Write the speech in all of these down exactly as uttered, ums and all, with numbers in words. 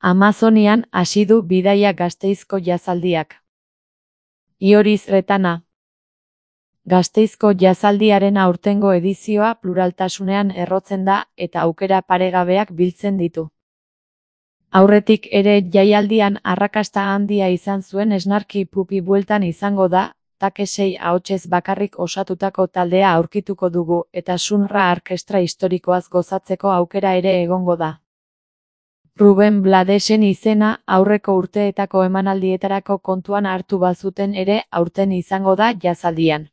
Amazonian hasi du bidaia Gasteizko jazaldiak. Ioriz Retana. Gasteizko jazaldiaren aurtengo edizioa pluraltasunean errotzen da eta aukera paregabeak biltzen ditu. Aurretik ere jaialdian arrakasta handia izan zuen esnarki pupi bueltan izango da, takesei ahotsez bakarrik osatutako taldea aurkituko dugu eta Sunra Arkestra historikoaz gozatzeko aukera ere egongo da. Ruben Bladesen izena aurreko urteetako emanaldietarako kontuan hartu bazuten ere aurten izango da jazaldian.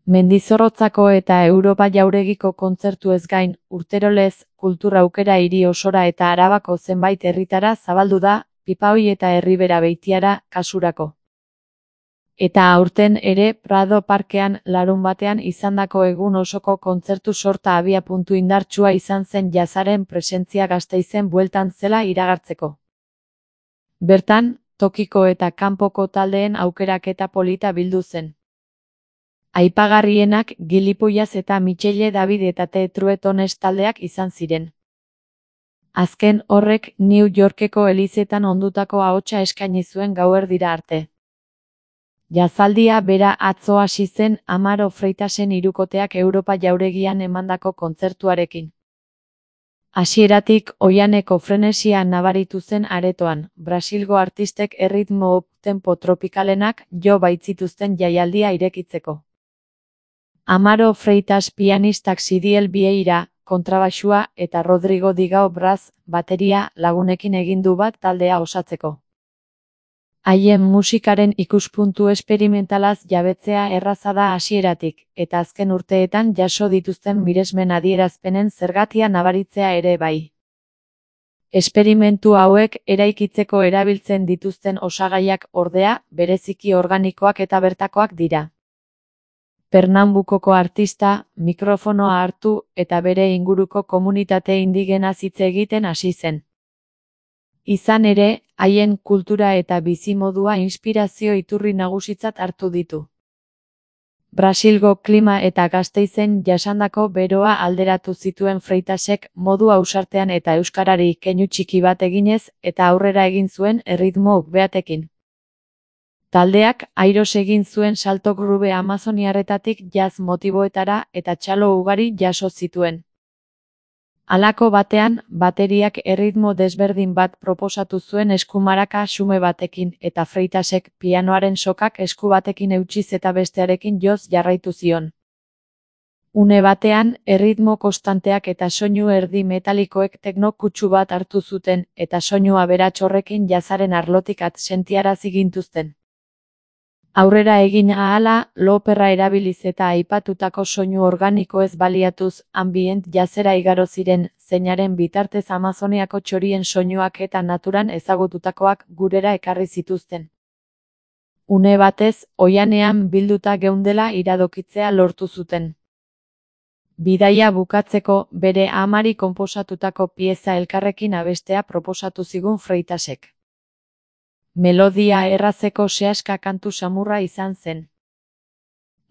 Mendizorrotzako eta Europa Jauregiko kontzertuez gain, urterolez, kultura aukera hiri osora eta Arabako zenbait herritara zabaldu da, Pipaoi eta Erribera Beitiara kasurako. Eta aurten ere Prado Parkean larunbatean izandako egun osoko kontzertu sorta abiapuntu indartsua izan zen jazaren presentzia Gasteizen bueltan zela iragartzeko. Bertan, tokiko eta kanpoko taldeen aukeraketa polita bildu zen. Aipagarrienak Gilipollas eta Michele David eta The Truetones taldeak izan ziren. Azken horrek New Yorkeko elizetan ondutako ahotsa eskaini zuen gauerdira arte. Jazaldia bera atzo hasi zen Amaro Freitasen hirukoteak Europa Jauregian emandako kontzertuarekin. Hasieratik oihaneko frenesia nabaritu zen aretoan, Brasilgo artistek erritmo up-tempo tropikalenak jo baitzituzten jaialdia irekitzeko. Amaro Freitas pianistak Sidiel Vieira, kontrabaxua eta Rodrigo Digao Braz, bateria lagunekin egin du bat taldea osatzeko. Haien musikaren ikuspuntu esperimentalaz jabetzea erraza da hasieratik, eta azken urteetan jaso dituzten miresmen adierazpenen zergatia nabaritzea ere bai. Esperimentu hauek eraikitzeko erabiltzen dituzten osagaiak ordea, bereziki organikoak eta bertakoak dira. Pernambukoko artista, mikrofonoa hartu eta bere inguruko komunitate indigenaz hitz egiten hasi zen. Izan ere, haien kultura eta bizimodua inspirazio iturri nagusitzat hartu ditu. Brasilgo klima eta Gasteizen jasandako beroa alderatu zituen Freitasek modu ausartean eta euskarari keinu txiki bat eginez eta aurrera egin zuen erritmo beatekin. Taldeak airos egin zuen salto grube amazoniarretatik jazz motiboetara eta txalo ugari jaso zituen. Halako batean, bateriak erritmo desberdin bat proposatu zuen eskumaraka xume batekin eta Freitasek pianoaren sokak esku batekin eutsiz eta bestearekin joz jarraitu zion. Une batean, erritmo konstanteak eta soinu erdi metalikoek tekno kutsu bat hartu zuten eta soinu aberats horrekin jazaren arlotik at sentiarazi gintuzten. Aurrera egin ahala, loperra erabiliz eta aipatutako soinu organikoez baliatuz, ambient jazera igaro ziren, zeinaren bitartez Amazoniako txorien soinuak eta naturan ezagututakoak gurera ekarri zituzten. Une batez, oihanean bilduta geundela iradokitzea lortu zuten. Bidaia bukatzeko, bere amari konposatutako pieza elkarrekin abestea proposatu zigun Freitasek. Melodia errazeko sehaska kantu samurra izan zen.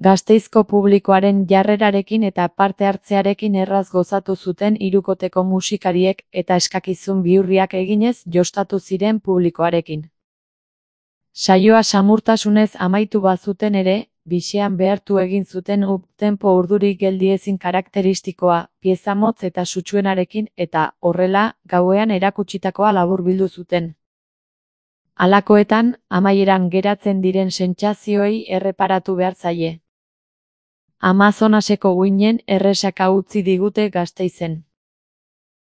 Gasteizko publikoaren jarrerarekin eta parte hartzearekin erraz gozatu zuten hirukoteko musikariek eta eskakizun bihurriak eginez jostatu ziren publikoarekin. Saioa samurtasunez amaitu bazuten ere, bisean behartu egin zuten up-tempo urduri geldiezin karakteristikoa, pieza motz eta sutsuenarekin eta, horrela, gauean erakutsitakoa laburbildu zuten. Halakoetan, amaieran geratzen diren sentsazioei erreparatu behar zaie. Amazonaseko uinen erresaka utzi digute Gasteizen.